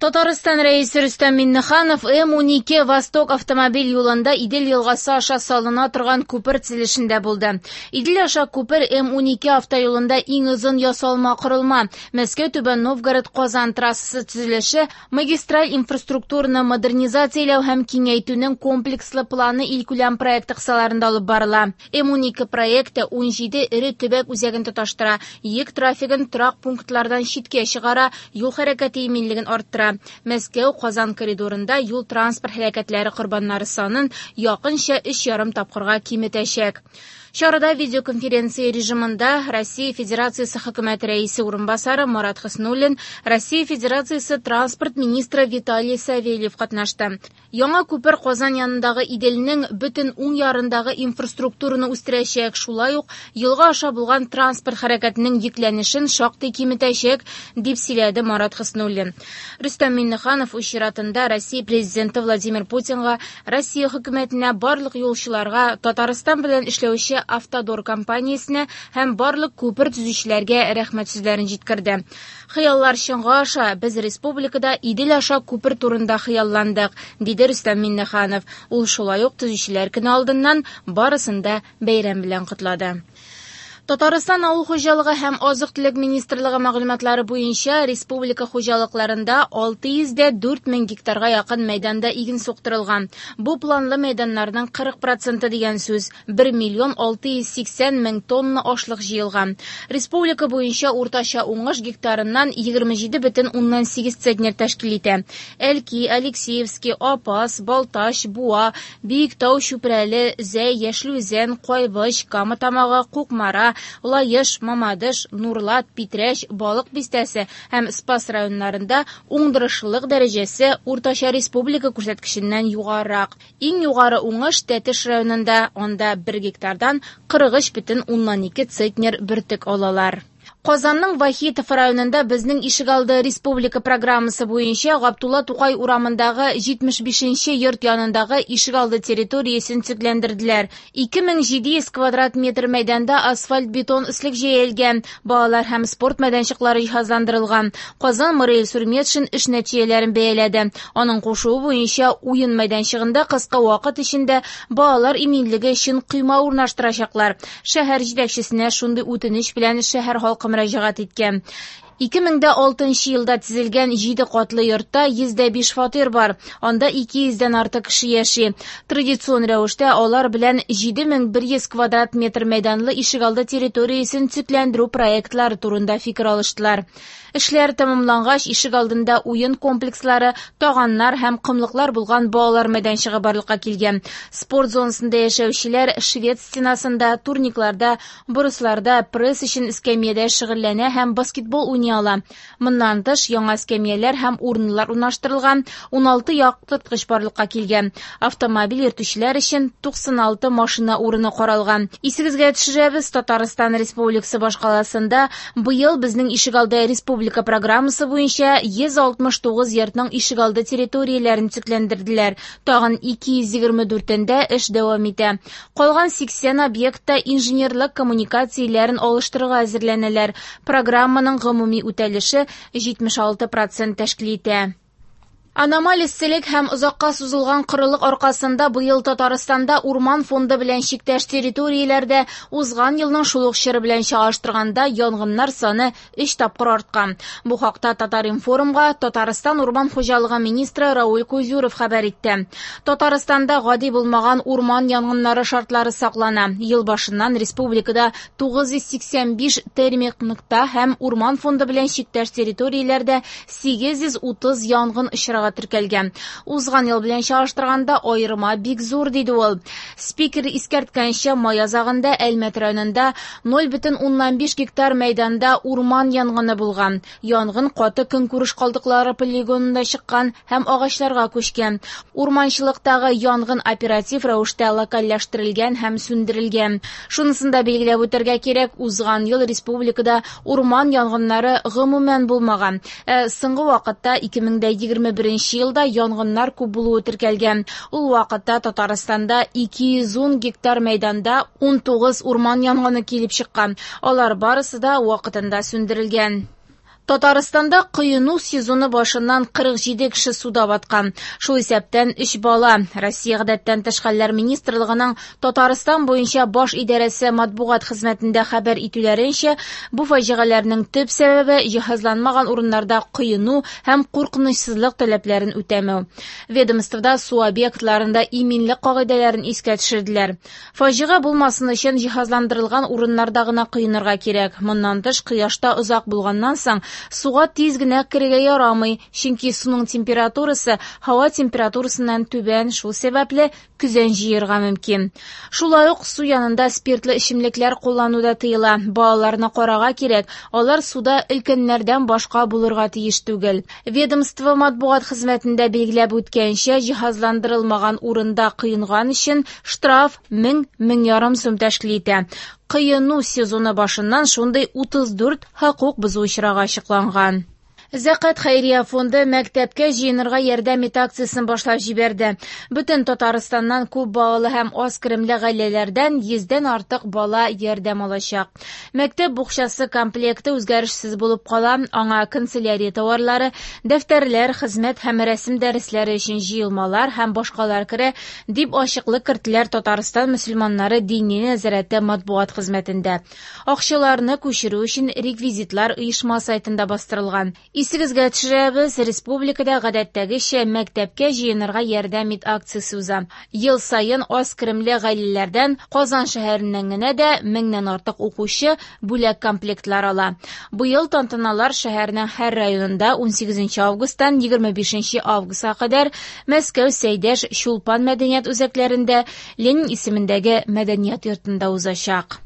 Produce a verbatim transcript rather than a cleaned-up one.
Татарстан Рәисе Рөстәм Миңнеханов М унике Восток автомобиль юлында Идел елгасы аша салына торган күпер төзелешендә булды. Идел аша күпер М унике автоюлында иң озын ясалма корылма. Мәскәү Түбән Новгород Казан трассасы төзелеше магистраль инфраструктураны модернизацияләү һәм киңәйтүнең комплекслы планы илкүләм проекты кысаларында алып барыла. М унике проекты ун җиде эре төбәк үзәген тоташтыра, йөк трафигын торак пунктлардан читкә чыгара, юл хәрәкәте иминлеген арттыра. Мәскәү Казан коридорында юл транспорт һәлакәтләре корбаннары санын якынча өч ярым тапкырга киметәчәк. Чарада видеоконференция режимында Россия Федерациясе хөкүмәт рәисе урынбасары Марат Хөснуллин, Россия Федерациясе транспорт министры Виталий Савельев катнашты. Яңа күпер Казан янындагы Иделнең бөтен уң ярындагы инфраструктураны үстерәчәк, шулай ук елга аша булган транспорт хәрәкәтенең йөкләнешен шактый киметәчәк, дип сөйләде Марат Хөснуллин. Рөстәм Миңнеханов үз чиратында Россия президенты Владимир Путинга, Россия хөкүмәтенә, барлык юлчыларга, Татарстан белән эшләүче Автодор компаниясенә һәм барлык күпер төзүчеләргә рәхмәт сүзләрен җиткерде. Хыяллар чынга аша, без республикада Идел аша күпер турында хыялландык, диде Рөстәм Миңнеханов. Ул шулай ук төзүчеләр көне алдыннан барысын да бәйрәм белән котлады. Татарстан Авыл хуҗалыгы һәм азык-төлек министрлыгы мәгълүматлары буенча республика хуҗалыкларында алты йөз дә дүрт мең гектарга якын мәйданда иген суктырылган. Бу планлы мәйданнарның кырык проценты дигән сүз, бер миллион алты йөз сиксән мең тонна ашлык җыелган. Республика буенча уртача уңыш гектарыннан егерме җиде бөтен уннан сигез центнер тәшкил итә. Әлки, Алексеевский, Апас, Балтач, Буа, Биектау, Чүпрәле, Зәй, Яшел Үзән, Кайбыч, Кама Тамагы, Кукмара, Лаеш, Мамадыш, Нурлат, Питрәч, Балык Бистәсе һәм Спас районнарында уңдырышлылык дәрәҗәсе уртача республика күрсәткеченнән югарырак. Иң югары уңыш Тәтеш районында, анда бер гектардан кырык өч бөтен уннан ике центнер бөртек алалар. Казанның Вахитов районында безнең ишегалды республика программасы буенча Габдулла Тукай урамындагы җитмеш бишенче йорт янындагы ишегалды территориясен төзекләндерделәр. Ике мең җиде йөз квадрат метр мәйданда асфальт-бетон өслек җәелгән, балалар һәм спорт мәйданчыклары җиһазландырылган. Казан мэры Илсур Метшин эш нәтиҗәләрен бәяләде. Аның кушуы буенча уен мәйданчыгында кыска вакыт эчендә балалар иминлеге өчен койма урнаштырачаклар. Шәһәр җитәкчесенә шундый үтенеч белән шәһәр халкы мөрәҗәгать иткән. Ике мең дә алтынчы елда төзелгән җиде катлы йортта йөз дә биш фатир бар. Анда ике йөздән артык кеше яши. Традицион рәвештә алар белән җиде мең бер йөз квадрат метр мәйданлы ишегалды территориясен төзекләндерү проектлары турында фикер алыштылар. Эшләр тәмамлангач, ишегалдында уен комплекслары, таганнар һәм комлыклар булган балалар мәйданчыгы барлыкка килгән. Спорт зонасында яшәүчеләр швед стенасында, турникларда, борысларда, пресс өчен эскәмиядә шөгыльләнә һәм баскетбол уйный ала. Моннан тыш, яңа эскәмияләр һәм урыннар урнаштырылган, уналты яктырткыч барлыкка килгән. Автомобиль йөртүчеләр өчен туксан алты машина урыны каралган. Исегезгә төшерәбез, Татарстан Республикасы башкаласында быел безнең ишегалды республика программасы буенча йөз алтмыш тугыз йортның ишегалды территорияләрен төзекләндерделәр. Тагын ике йөз егерме дүртендә эш дәвам итә. Калган сиксән объектта инженерлык коммуникацияләрен алыштырырга әзерләнәләр. Программаның гомуми үтәлеше җитмеш алты процент тәшкил итә. Аномаль эсселек һәм озакка сузылган корылык аркасында быел Татарстанда урман фонды белән чиктәш территорияләрдә узган елның шул ук чоры белән чагыштырганда янгыннар саны өч тапкыр арткан. Бу хакта Татар-информга Татарстан урман хуҗалыгы министры Рауль Кузюров хәбәр итте. Татарстанда гади булмаган урман янгыннары шартлары саклана. Ел башыннан республикада тугыз йөз сиксән биш термик нокта һәм урман фонды белән чиктәш территорияләрдә сигез йөз утыз янгын очрагы теркәлгән. Узган ел белән чагыштырганда аерма бик зур, диде ул. Спикер искәрткәнчә, май азагында Әлмәт районында ноль бөтен уннан биш гектар мәйданда урман янгыны булган. Янгын каты көнкүреш калдыклары полигонында чыккан һәм агачларга күчкән. Урманчылыктагы янгын оператив рәвештә локальләштерелгән һәм сүндерелгән. Шунысын да билгеләп үтәргә кирәк, узган ел республикада урман янгыннары гомумән булмаган. Ә соңгы вакытта ике мең дә егерме беренче елда янгыннар күп булуы теркәлгән. Ул вакытта Татарстанда ике йөз ун гектар мәйданда унтугыз урман янгыны килеп чыккан. Алар барысы да вакытында сүндерелгән. Татарстанда коену сезоны башыннан кырык җиде кеше суда баткан. Шул исәптән өч бала. Россия Гадәттән тыш хәлләр министрлыгының Татарстан буенча баш идарәсе матбугат хезмәтендә хәбәр итүләренчә, бу фаҗигаләрнең төп сәбәбе җиһазланмаган урыннарда коену һәм куркынычсызлык таләпләрен үтәмәү. Ведомствода су объектларында иминлек кагыйдәләрен искә төшерделәр. Фаҗига булмасын өчен җиһазландырылган урыннарда гына коенырга кирәк. Моннан тыш, кояшта озак булганнан соң суга тиз генә керергә ярамый, чөнки суның температурасы һава температурасыннан түбән, шул сәбәпле көзән җыерга мөмкин. Шулай ук су янында спиртлы эчемлекләр куллану да тыела. Балаларны карарга кирәк, алар суда өлкәннәрдән башка булырга тиеш түгел. Ведомство матбугат хезмәтендә билгеләп үткәнчә, җиһазландырылмаган урында коенган өчен штраф мең, мең ярым сум тәшкил итә. Коену сезоны башыннан шундый утыз дүрт хокук бозу очрагы ачыкланган. Зәкят хәйрия фонды мәктәпкә җыенырга ярдәм ит акциясен башлап җибәрде. Бөтен Татарстаннан күп балалы һәм аз керемле гаиләләрдән йөздән артык бала ярдәм алачак. Мәктәп букчасы комплекты үзгәрешсез булып кала, аңа канцелярия товарлары, дәфтәрләр, хезмәт һәм рәсем дәресләре өчен җыелмалар һәм башкалар керә, дип ачыклык керттеләр Татарстан мөселманнары дини нәзарәте матбугат хезмәтендә. Акчаларны күчерү өчен реквизитлар оешма сайтында бастырылган. Исегезгә төшерәбез, республикада гадәттәгечә мәктәпкә җыенырга ярдәм ит акциясе уза. Ел саен аз керемле гаиләләрдән Казан шәһәреннән генә дә меңнән артык укучы бүләк комплектлар ала. Быел тантаналар шәһәрнең һәр районында унсигезенче августтан егерме бишенче августка кадәр Мәскәү, Сәйдәш, Чулпан мәдәният үзәкләрендә, Ленин исемендәге мәдәният йортында узачак.